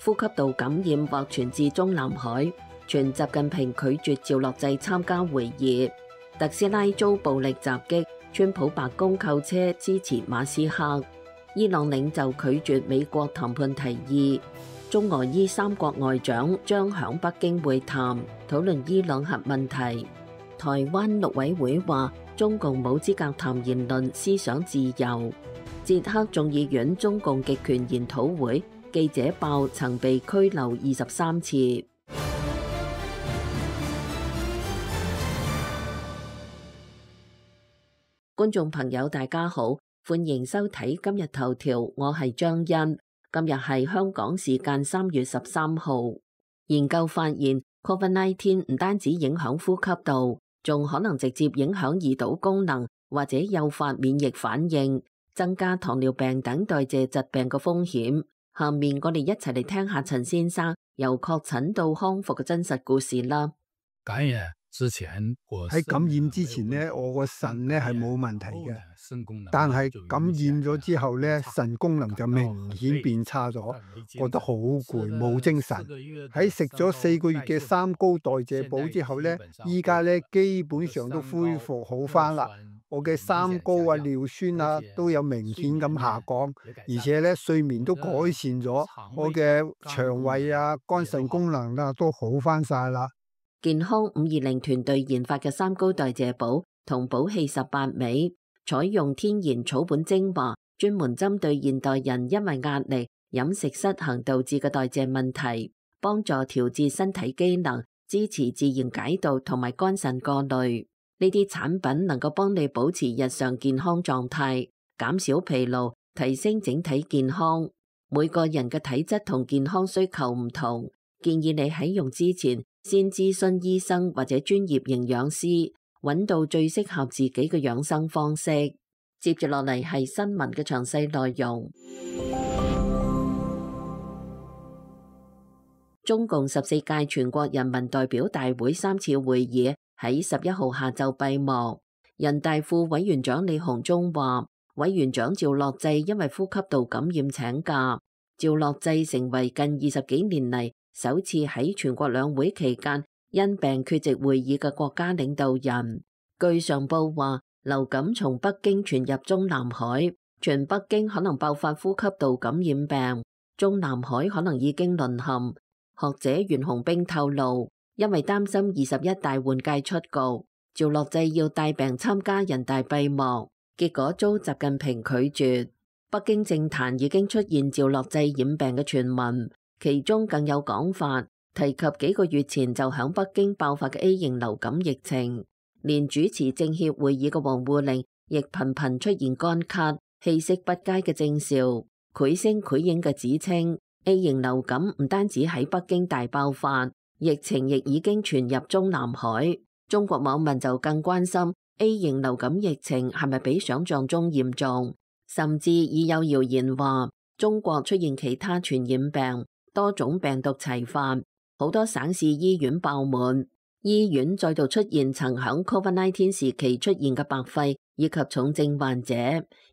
呼吸道感染或傳至中南海，傳習近平拒絕趙樂際參加會議。特斯拉遭暴力襲擊，川普白宮購車支持馬斯克。伊朗領袖拒絕美國談判提議。中俄伊三國外長將響北京會談，討論伊朗核問題。台灣陸委會話中共冇資格談言論思想自由。捷克眾議院中共極權研討會記者爆曾被拘留23次。觀眾朋友大家好，歡迎收睇今日頭條，我係張欣。今日係香港時間3月13號。研究發現 COVID-19 唔單止影響呼吸道，仲可能直接影響胰島功能，或者誘發免疫反應，增加糖尿病等代謝疾病嘅風險。下面我哋一齊嚟聽下陳先生由確診到康復嘅真實故事啦。感染之前，喺感染之前呢，我個腎呢係冇問題嘅，但係感染咗之後呢，腎功能就明顯變差咗，覺得好攰，冇精神。喺食咗4個月嘅三高代謝補之後呢，依家呢基本上都恢復好返啦。我嘅三高啊、尿酸啊都有明顯咁下降，而且呢睡眠都改善咗，我嘅腸胃啊、肝腎功能啊都好返晒啦。健康520團隊研發嘅三高代謝補同補氣18味，採用天然草本精華，專門針對現代人因為壓力、飲食失衡導致嘅代謝問題，幫助調節身體機能，支持自然解毒同埋肝腎過濾。呢啲產品能夠幫你保持日常健康狀態，減少疲勞，提升整體健康。每個人嘅體質同健康需求唔同，建議你喺用之前先諮詢醫生或者專業營養師，揾到最適合自己嘅養生方式。接住落嚟係新聞嘅詳細內容。中共14屆全國人民代表大會3次會議喺11號下晝閉幕。人大副委員長李鴻忠話，委員長趙樂際因為呼吸道感染請假。趙樂際成為近20幾年嚟首次喺全國兩會期間因病缺席會議嘅國家領導人。據上報話，流感從北京傳入中南海，全北京可能爆發呼吸道感染病，中南海可能已經淪陷。學者袁洪兵透露，因為擔心21大換屆出局，趙樂際要帶病參加人大閉幕，結果遭習近平拒絕。北京政壇已經出現趙樂際染病嘅傳聞，其中更有講法提及幾個月前就響北京爆發嘅 A 型流感疫情，連主持政協會議嘅王滬寧亦頻頻出現乾咳、氣息不佳嘅徵兆，繪聲繪影嘅指稱 A 型流感唔單止喺北京大爆發，疫情亦已經傳入中南海。中國網民就更關心 A 型流感疫情係咪比想象中嚴重，甚至已有謠言話中國出現其他傳染病，多種病毒齊發，好多省市醫院爆滿，醫院再度出現曾響 COVID-19 時期出現嘅白肺以及重症患者。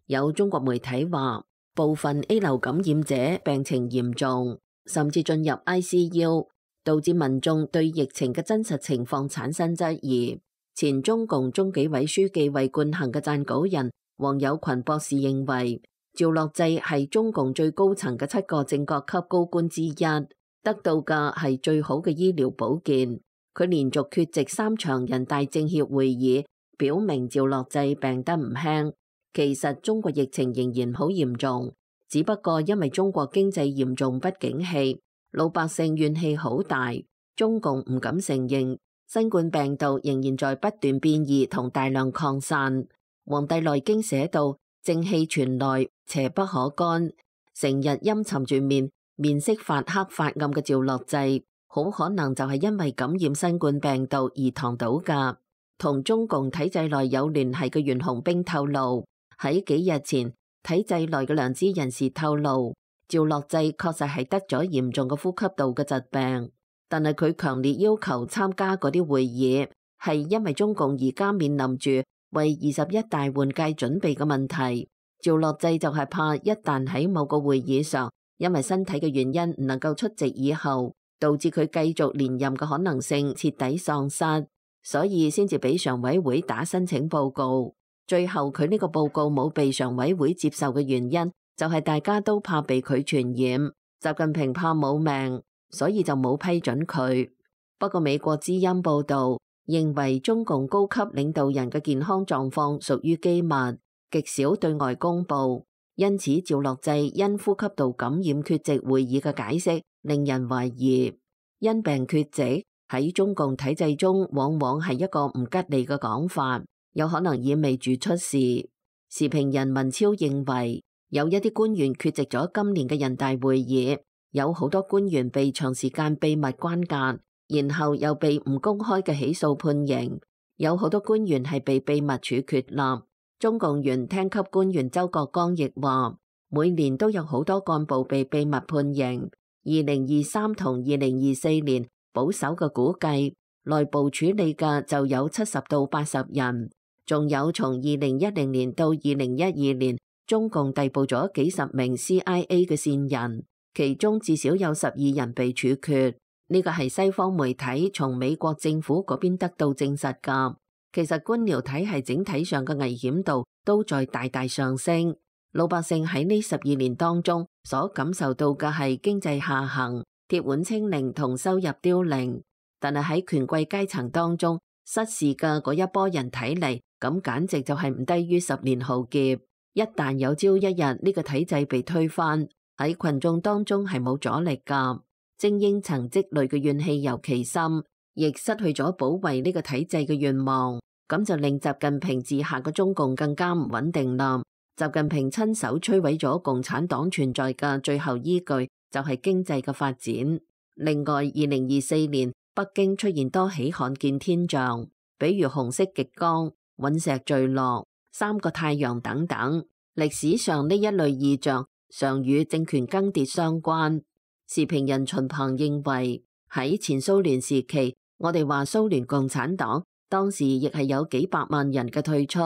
有中國媒體話，部分 A 流感染者病情嚴重，甚至進入 ICU， 導致民眾對疫情嘅真實情況產生質疑。前中共中紀委書記衛冠衡嘅撰稿人王友群博士認為，趙樂際係中共最高層嘅7個正國級高官之一，得到嘅係最好嘅醫療保健。佢連續缺席3場人大政協會議，表明趙樂際病得唔輕。其實中國疫情仍然好嚴重，只不過因為中國經濟嚴重不景氣，老百姓怨氣好大。中共唔敢承認新冠病毒仍然在不斷變異同大量擴散。黃帝內經寫道，正氣存內，邪不可干。成日陰沉住面色發黑發暗嘅趙樂際，好可能就係因為感染新冠病毒而躺倒㗎。同中共體制內有聯繫嘅袁洪兵透露，喺幾日前，體制內嘅良知人士透露，趙樂際確實係得咗嚴重嘅呼吸道嘅疾病，但係佢強烈要求參加嗰啲會議，係因為中共而家面臨住為21大換屆準備嘅問題。趙樂際就係怕一旦喺某個會議上因為身體嘅原因唔能夠出席以後，導致佢繼續連任嘅可能性徹底喪失，所以先至俾常委會打申請報告。最後佢呢個報告冇被常委會接受嘅原因，就係大家都怕被佢傳染，習近平怕冇命，所以就冇批准佢。不過美國之音報道認為中共高級領導人嘅健康狀況屬於機密，極少對外公佈，因此趙樂際因呼吸道感染缺席會議嘅解釋令人懷疑。因病缺席喺中共體制中往往係一個唔吉利嘅講法，有可能意味住出事。時評人文超認為，有一啲官員缺席咗今年嘅人大會議，有好多官員被長時間秘密關押，然後又被唔公開嘅起訴判刑，有好多官員係被秘密處決立。中共原廳級官員周國光亦話，每年都有好多幹部被秘密判刑。2023同2024年保守嘅估計，內部處理嘅就有70到80人，仲有從2010年到2012年，中共逮捕咗幾十名 CIA 嘅線人，其中至少有12人被處決。呢個係西方媒體從美國政府嗰邊得到證實㗎。其實官僚體系整體上嘅危險度都在大大上升。老百姓喺呢12年當中所感受到嘅係經濟下行、鐵腕清零同收入凋零，但係喺權貴階層當中失事嘅嗰一波人睇嚟，咁簡直就係唔低於10年浩劫。一旦有朝一日呢個體制被推翻，喺群眾當中係冇阻力㗎。精英層積累嘅怨氣尤其深，亦失去咗保衛呢個體制嘅願望，咁就令習近平治下嘅中共更加唔穩定啦。習近平親手摧毀咗共產黨存在嘅最後依據，就係經濟嘅發展。另外，2024年北京出現多起罕見天象，比如紅色極光、隕石墜落、3個太陽等等。歷史上呢一類異象常與政權更迭相關。時評人秦鵬認為，喺前蘇聯時期，我哋話蘇聯共產黨當時亦係有幾百萬人嘅退出，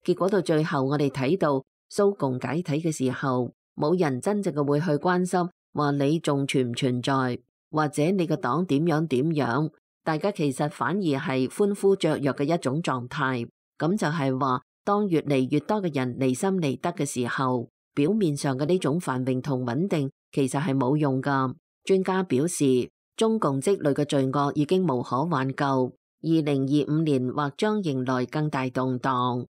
結果到最後我哋睇到蘇共解體嘅時候，冇人真正嘅會去關心話你仲存唔存在，或者你個黨點樣，大家其實反而係歡呼雀躍嘅一種狀態。咁就係話，當越嚟越多嘅人離心離德嘅時候，表面上嘅呢種繁榮同穩定其實係冇用㗎。專家表示，中共積累嘅罪惡已經無可挽救，2025年或將迎來更大動盪。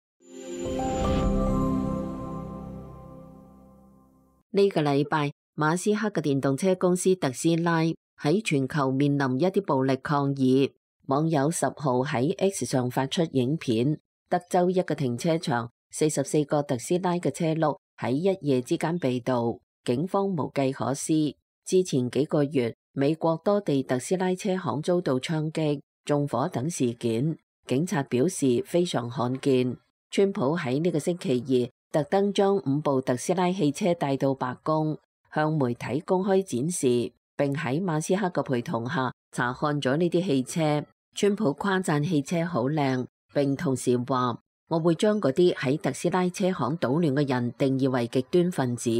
呢個禮拜，馬斯克嘅電動車公司特斯拉喺全球面臨一啲暴力抗議。網友10號喺 X 上發出影片，德州一個停車場44個特斯拉嘅車轆喺一夜之間被盜，警方無計可施。之前幾個月，美國多地特斯拉車行遭到槍擊、縱火等事件，警察表示非常罕見。川普喺呢個星期二特登將5部特斯拉汽車帶到白宮，向媒體公開展示，並喺馬斯克嘅陪同下查看咗呢啲汽車。川普誇讚汽車好靚，並同時話：我會將嗰啲喺特斯拉車行搗亂嘅人定義為極端分子。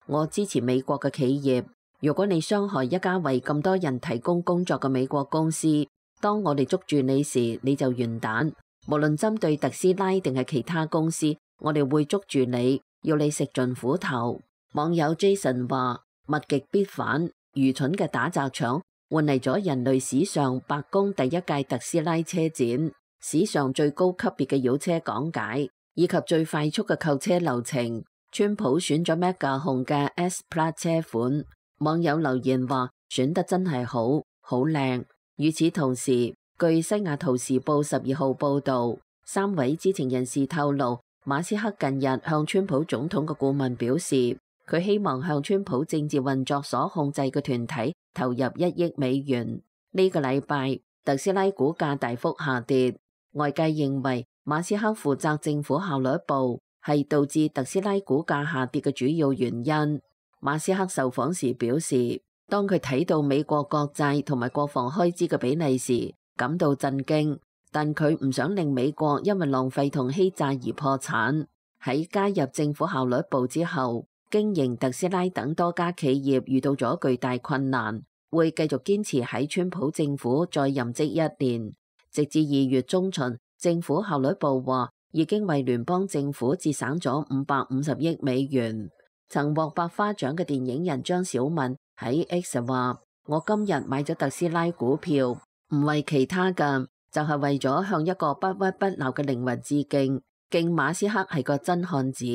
我支持美國嘅企業。如果你傷害一家為咁多人提供工作嘅美國公司，當我哋捉住你時，你就完蛋。無論針對特斯拉定係其他公司，我哋會捉住你，要你食盡苦頭。網友 Jason 話：物極必反，愚蠢嘅打砸搶換嚟咗人類史上白宮第一屆特斯拉車展，史上最高級別嘅妖車講解，以及最快速嘅購車流程。川普選咗 Mega 紅嘅 S-Plaid 車款，網友留言話：選得真係好，好靚。與此同時，據西雅圖時報12號報導，3位知情人士透露，馬斯克近日向川普總統嘅顧問表示，佢希望向川普政治運作所控制嘅團體投入1億美元。呢個禮拜，特斯拉股價大幅下跌，外界認為馬斯克負責政府效率部係導致特斯拉股價下跌嘅主要原因。馬斯克受訪時表示，當佢睇到美國國債同埋國防開支嘅比例時，感到震驚，但佢唔想令美國因為浪費同欺詐而破產。喺加入政府效率部之後，經營特斯拉等多家企業遇到咗巨大困難，會繼續堅持喺川普政府再任職1年，直至2月中旬。政府效率部話已經為聯邦政府節省咗550億美元。曾獲百花獎嘅電影人張小敏喺 X 話：我今日買咗特斯拉股票，唔為其他嘅，就係為咗向一個不屈不撓嘅靈魂致敬。敬馬斯克係個真漢子，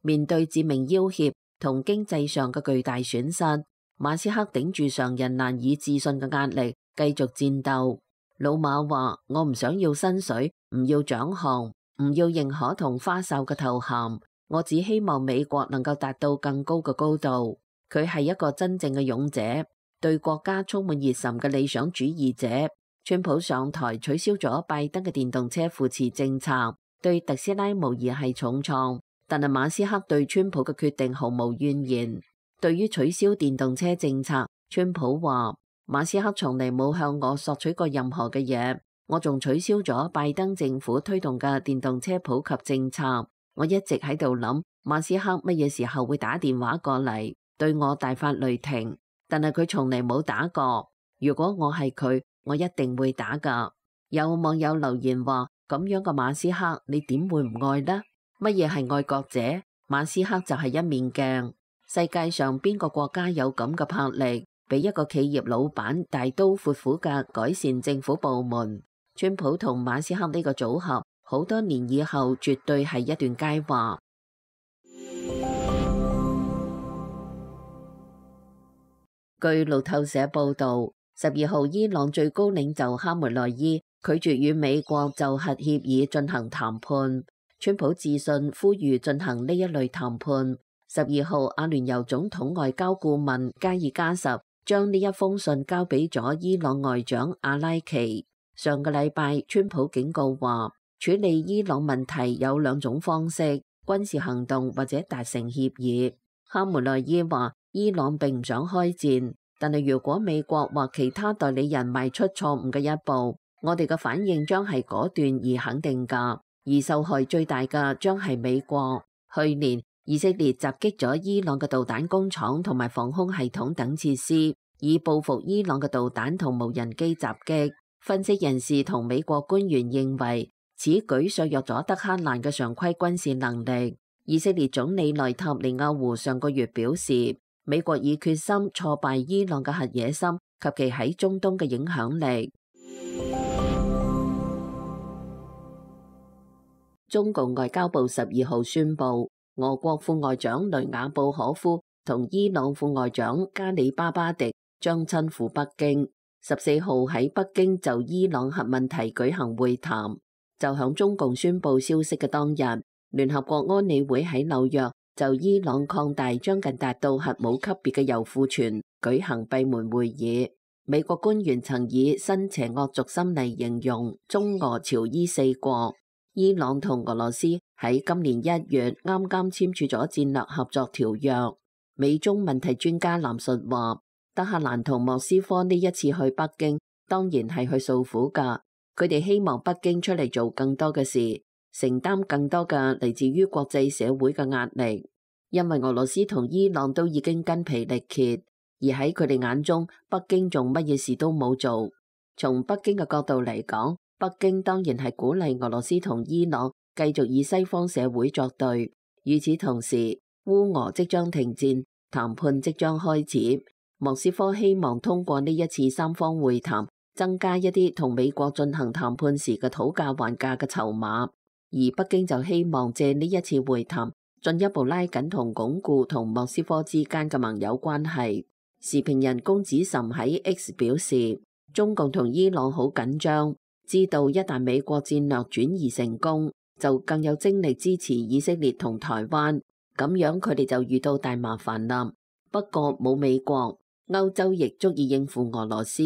面對致命要挾同經濟上嘅巨大損失，馬斯克頂住常人難以置信嘅壓力，繼續戰鬥。老馬話：我唔想要薪水，唔要獎項，唔要認可同花哨嘅頭銜，我只希望美國能夠達到更高嘅高度。佢係一個真正嘅勇者，對國家充滿熱忱嘅理想主義者。川普上台取消咗拜登嘅電動車扶持政策，對特斯拉無疑係重創，但係馬斯克對川普嘅決定毫無怨言。對於取消電動車政策，川普話：馬斯克從嚟冇向我索取過任何嘅嘢，我仲取消咗拜登政府推動嘅電動車普及政策。我一直喺度諗，馬斯克乜嘢時候會打電話過嚟對我大發雷霆，但係佢從嚟冇打過。如果我係佢，我一定會打㗎。有網友留言話：咁樣嘅馬斯克，你點會唔愛呢？乜嘢係愛國者？馬斯克就係一面鏡。世界上邊個國家有咁嘅魄力，俾一個企業老闆大刀闊斧嘅改善政府部門？川普同馬斯克呢個組合，好多年以後絕對係一段佳話。據路透社報導，12號伊朗最高領袖哈梅內伊拒絕與美國就核協議進行談判。川普致信呼籲進行呢一類談判。12號，阿聯酋總統外交顧問加爾加什將呢一封信交俾咗伊朗外長阿拉奇。上個禮拜，川普警告話，處理伊朗問題有2種方式：軍事行動或者達成協議。哈梅內伊話，伊朗並唔想開戰，但係如果美國或其他代理人邁出錯誤嘅一步，我哋嘅反應將係果斷而肯定㗎，而受害最大嘅將係美國。去年，以色列襲擊咗伊朗嘅導彈工廠同埋防空系統等設施，以報復伊朗嘅導彈同無人機襲擊。分析人士同美國官員認為，此舉削弱咗德黑蘭嘅常規軍事能力。以色列總理內塔尼亞胡上個月表示，美國已決心挫敗伊朗嘅核野心及其喺中東嘅影響力。中共外交部12號宣布，俄國副外長雷雅布可夫同伊朗副外長加里巴巴迪將親赴北京。14號喺北京就伊朗核問題舉行會談。就響中共宣布消息嘅當日，聯合國安理會喺紐約就伊朗擴大將近達到核武級別嘅鈾庫存舉行閉門會議。美國官員曾以新邪惡軸心嚟形容中俄朝伊4國。伊朗同俄羅斯喺今年1月啱啱簽署咗戰略合作條約。美中問題專家藍述話，德黑蘭同莫斯科呢一次去北京，當然係去訴苦㗎。佢哋希望北京出嚟做更多嘅事，承擔更多嘅嚟自於國際社會嘅壓力。因為俄羅斯同伊朗都已經筋疲力竭，而喺佢哋眼中，北京仲乜嘢事都冇做。從北京嘅角度嚟講，北京當然係鼓勵俄羅斯同伊朗繼續以西方社會作對。與此同時，烏俄即將停戰，談判即將開始。莫斯科希望通過呢一次三方會談，增加一啲同美國進行談判時嘅討價還價嘅籌碼，而北京就希望借呢一次會談進一步拉緊同鞏固同莫斯科之間嘅盟友關係。時評人龔子岑喺 X 表示，中共同伊朗好緊張，知道一旦美國戰略轉移成功，就更有精力支持以色列同台灣，咁樣佢哋就遇到大麻煩啦。不過冇美國，歐洲亦足以應付俄羅斯，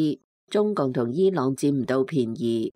中共同伊朗佔唔到便宜。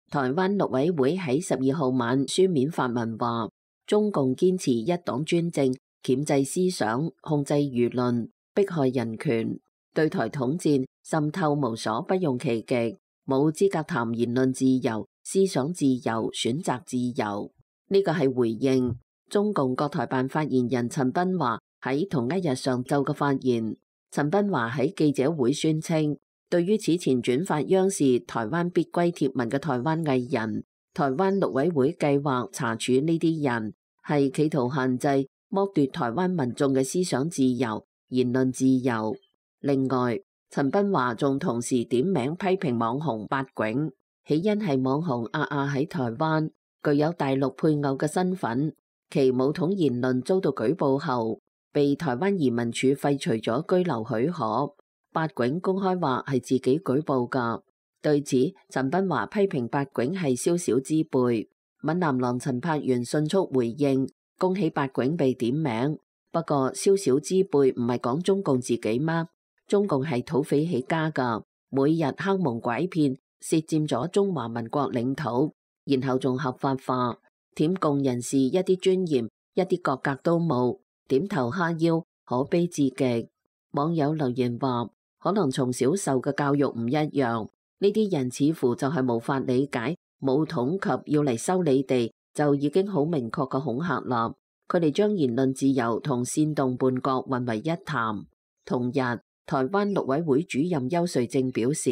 台灣陸委會喺12號晚書面發文話，中共堅持一黨專政，鉗制思想，控制輿論，迫害人權，對台統戰滲透無所不用其極，冇資格談言論自由、思想自由、選擇自由。呢個係回應中共國台辦發言人陳斌華喺同一日上晝嘅發言。陳斌華喺記者會宣稱，對於此前轉發央視台灣必歸貼文嘅台灣藝人，台灣陸委會計劃查處呢啲人，係企圖限制剝奪台灣民眾嘅思想自由、言論自由。另外，陳斌華仲同時點名批評網紅八囧，起因係網紅阿阿喺台灣具有大陸配偶嘅身份，其武統言論遭到舉報後，被台灣移民署廢除咗居留許可。八囧公開話係自己舉報㗎。對此，陳斌華批評八囧係宵小之輩。閩南郎陳柏元迅速回應，恭喜八囧被點名。不過宵小之輩唔係講中共自己嗎？中共係土匪起家㗎，每日坑蒙拐騙，竊佔咗中華民國領土，然後仲合法化，舔共人士一啲尊嚴、一啲國格都冇。點頭哈腰，可悲至極。網友留言話，可能從小受嘅教育唔一樣，呢啲人似乎就係無法理解武統及要嚟收你哋就已經好明確嘅恐嚇啦。佢哋將言論自由同煽動叛國混為一談。同日，台灣陸委會主任邱瑞正表示，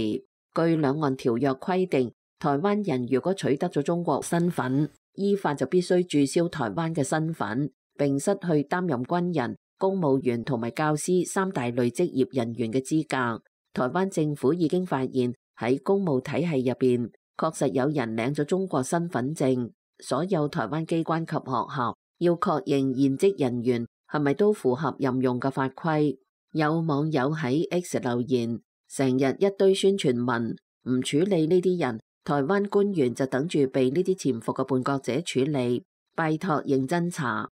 據兩岸條約規定，台灣人如果取得咗中國身份，依法就必須註銷台灣嘅身份，並失去擔任軍人、公務員同埋教師三大類職業人員嘅資格。台灣政府已經發現喺公務體系入邊，確實有人領咗中國身份證。所有台灣機關及學校要確認現職人員係咪都符合任用嘅法規。有網友喺 X 留言，成日一堆宣傳文，唔處理呢啲人，台灣官員就等住被呢啲潛伏嘅叛國者處理，拜託認真查。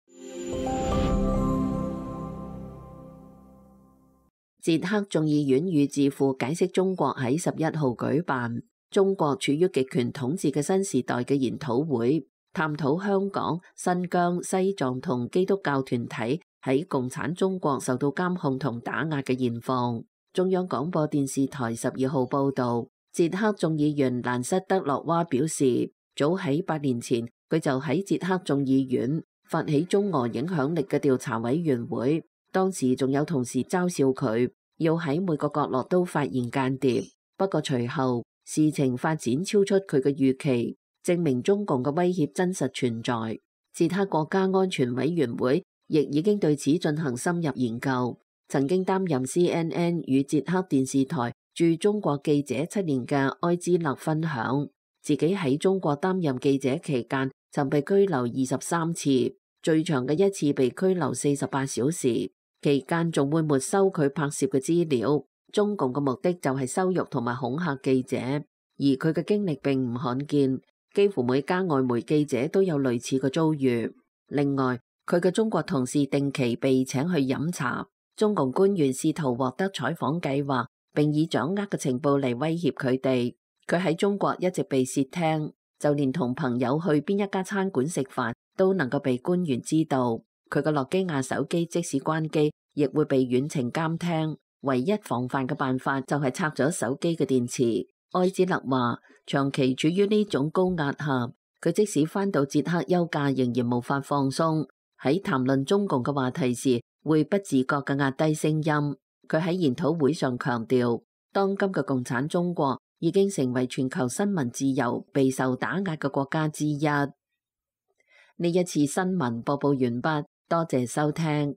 捷克眾議院與智庫解釋中國喺11號舉辦中國處於極權統治嘅新時代嘅研討會，探討香港、新疆、西藏同基督教團體喺共產中國受到監控同打壓嘅現況。中央廣播電視台12號報導，捷克眾議員蘭塞德洛娃表示，早喺8年前，佢就喺捷克眾議院發起中俄影響力嘅調查委員會，當時仲有同事嘲笑佢要喺每個角落都發現間諜。不過隨後事情發展超出佢嘅預期，證明中共嘅威脅真實存在。捷克國家安全委員會亦已經對此進行深入研究。曾經擔任 CNN 與捷克電視台駐中國記者7年嘅埃茲勒分享，自己喺中國擔任記者期間曾被拘留23次，最長嘅一次被拘留48小時，期間仲會沒收佢拍攝嘅資料。中共嘅目的就係羞辱同埋恐嚇記者，而佢嘅經歷並唔罕見，幾乎每家外媒記者都有類似嘅遭遇。另外，佢嘅中國同事定期被請去飲茶，中共官員試圖獲得採訪計劃，並以掌握嘅情報嚟威脅佢哋。佢喺中國一直被竊聽，就連同朋友去邊一家餐館食飯都能夠被官員知道。佢嘅諾基亞手機即使關機，亦會被遠程監聽。唯一防範嘅辦法就係拆咗手機嘅電池。埃茲勒話，長期處於呢種高壓下，佢即使返到捷克休假，仍然無法放鬆。喺談論中共嘅話題時，會不自覺嘅壓低聲音。佢喺研討會上強調，當今嘅共產中國已經成為全球新聞自由備受打壓嘅國家之一。呢一次新聞播報完畢，多謝收聽。